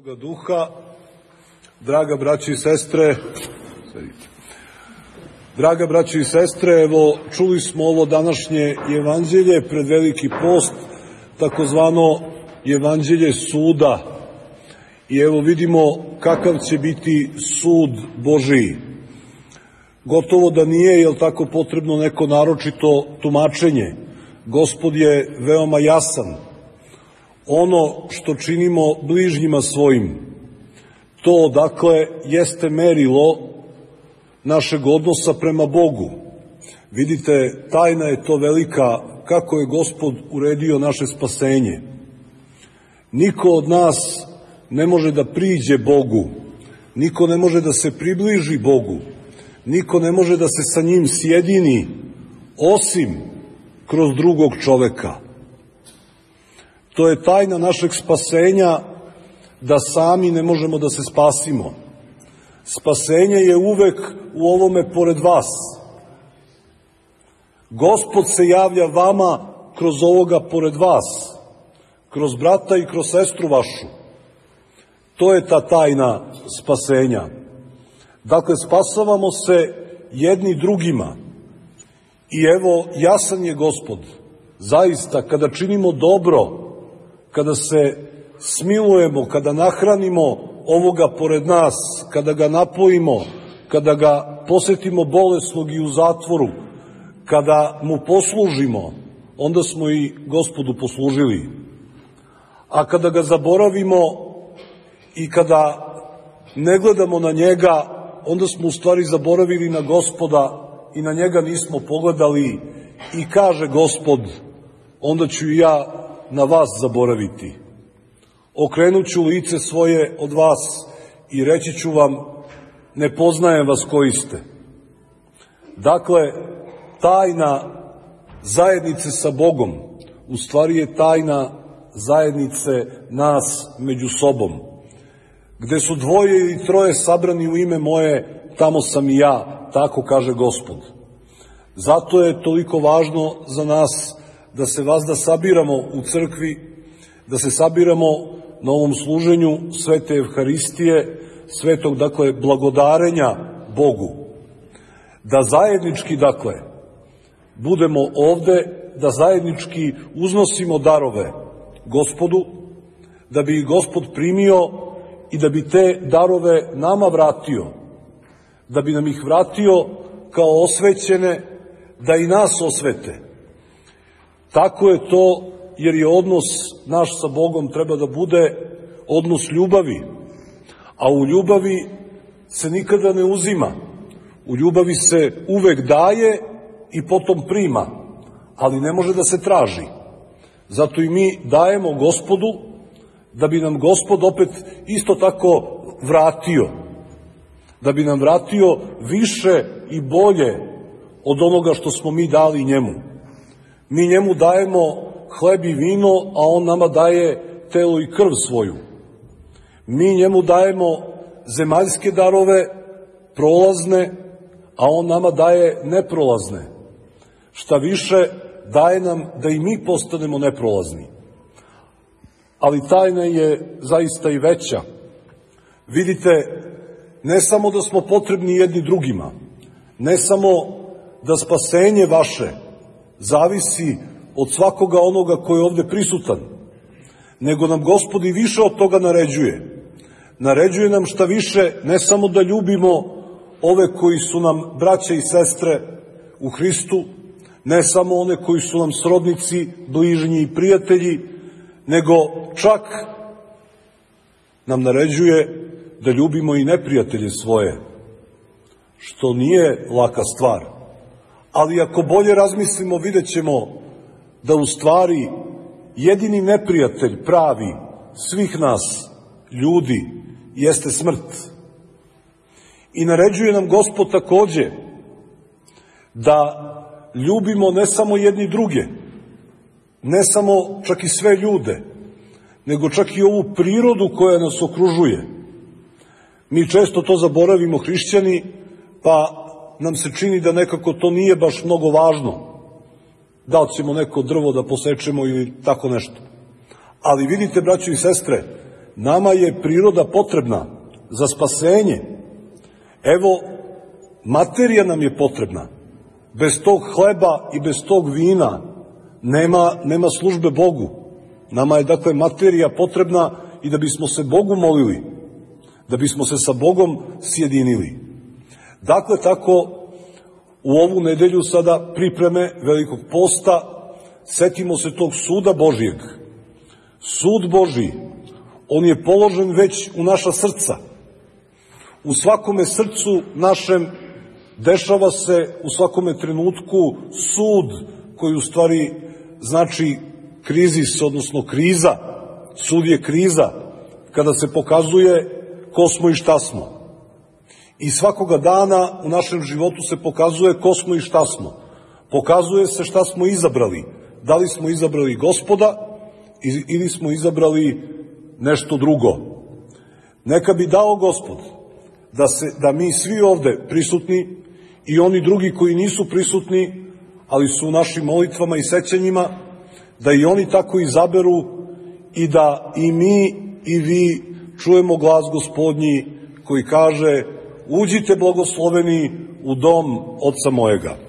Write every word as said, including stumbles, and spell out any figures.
Duha, draga braći i sestre, draga braći i sestre, evo čuli smo ovo današnje evanđelje pred Veliki post, takozvano evanđelje suda. I evo vidimo kakav će biti sud Božiji. Gotovo da nije, jel tako, potrebno neko naročito tumačenje. Gospod je veoma jasan. Ono što činimo bližnjima svojim, to, dakle, jeste merilo našeg odnosa prema Bogu. Vidite, tajna je to velika, kako je Gospod uredio naše spasenje. Niko od nas ne može da priđe Bogu, niko ne može da se približi Bogu, niko ne može da se sa njim sjedini, osim kroz drugog čoveka. To je tajna našeg spasenja, da sami ne možemo da se spasimo. Spasenje je uvek u ovome pored vas. Gospod se javlja vama kroz ovoga pored vas, kroz brata i kroz sestru vašu. To je ta tajna spasenja. Dakle, spasavamo se jedni drugima. I evo, jasan je Gospod. Zaista, kada činimo dobro, kada se smilujemo, kada nahranimo ovoga pored nas, kada ga napojimo, kada ga posetimo bolesnog i u zatvoru, kada mu poslužimo, onda smo i Gospodu poslužili. A kada ga zaboravimo i kada ne gledamo na njega, onda smo u stvari zaboravili na Gospoda i na njega nismo pogledali. I kaže Gospod, onda ću i ja na vas zaboraviti. Okrenut ću lice svoje od vas i reći ću vam, ne poznajem vas koji ste. Dakle, tajna zajednice sa Bogom u stvari je tajna zajednice nas među sobom. Gde su dvoje ili troje sabrani u ime moje, tamo sam i ja, tako kaže Gospod. Zato je toliko važno za nas da se vazda sabiramo u crkvi, da se sabiramo na ovom služenju Svete Evharistije, svetog, dakle, blagodarenja Bogu. Da zajednički, dakle, budemo ovde, da zajednički uznosimo darove Gospodu, da bi ih Gospod primio i da bi te darove nama vratio, da bi nam ih vratio kao osvećene, da i nas osvete. Tako je to, jer je odnos naš sa Bogom treba da bude odnos ljubavi, a u ljubavi se nikada ne uzima. U ljubavi se uvek daje i potom prima, ali ne može da se traži. Zato i mi dajemo Gospodu, da bi nam Gospod opet isto tako vratio, da bi nam vratio više i bolje od onoga što smo mi dali njemu. Mi njemu dajemo hleb i vino, a on nama daje telo i krv svoju. Mi njemu dajemo zemaljske darove, prolazne, a on nama daje neprolazne. Šta više, daje nam da i mi postanemo neprolazni. Ali tajna je zaista i veća. Vidite, ne samo da smo potrebni jedni drugima, ne samo da spasenje vaše zavisi od svakoga onoga koji je ovde prisutan, nego nam Gospod i više od toga naređuje. Naređuje nam šta više, ne samo da ljubimo ove koji su nam braća i sestre u Hristu, ne samo one koji su nam srodnici, bližnji i prijatelji, nego čak nam naređuje da ljubimo i neprijatelje svoje, što nije laka stvar. Ali ako bolje razmislimo, vidjet ćemo da u stvari jedini neprijatelj pravi svih nas, ljudi, jeste smrt. I naređuje nam Gospod takođe da ljubimo ne samo jedni druge, ne samo čak i sve ljude, nego čak i ovu prirodu koja nas okružuje. Mi često to zaboravimo, hrišćani, pa nam se čini da nekako to nije baš mnogo važno. Da li ćemo neko drvo da posečemo ili tako nešto. Ali vidite, braćo i sestre, Nama je priroda potrebna za spasenje. Evo, materija nam je potrebna. Bez tog hleba i bez tog vina nema, nema službe Bogu. Nama je, dakle, materija potrebna i da bismo se Bogu molili, da bismo se sa Bogom sjedinili. Dakle, tako, u ovu nedelju sada pripreme Velikog posta, setimo se tog suda Božijeg. Sud Božiji, on je položen već u naša srca. U svakome srcu našem dešava se u svakome trenutku sud koji u stvari znači krizis, odnosno kriza. Sud je kriza kada se pokazuje ko smo i šta smo. I svakoga dana u našem životu se pokazuje ko smo i šta smo. Pokazuje se šta smo izabrali. Da li smo izabrali Gospoda ili smo izabrali nešto drugo. Neka bi dao Gospod da, se, da mi svi ovde prisutni i oni drugi koji nisu prisutni, ali su u našim molitvama i sećanjima, da i oni tako izaberu i da i mi i vi čujemo glas Gospodnji koji kaže: uđite blagosloveni u dom Oca mojega.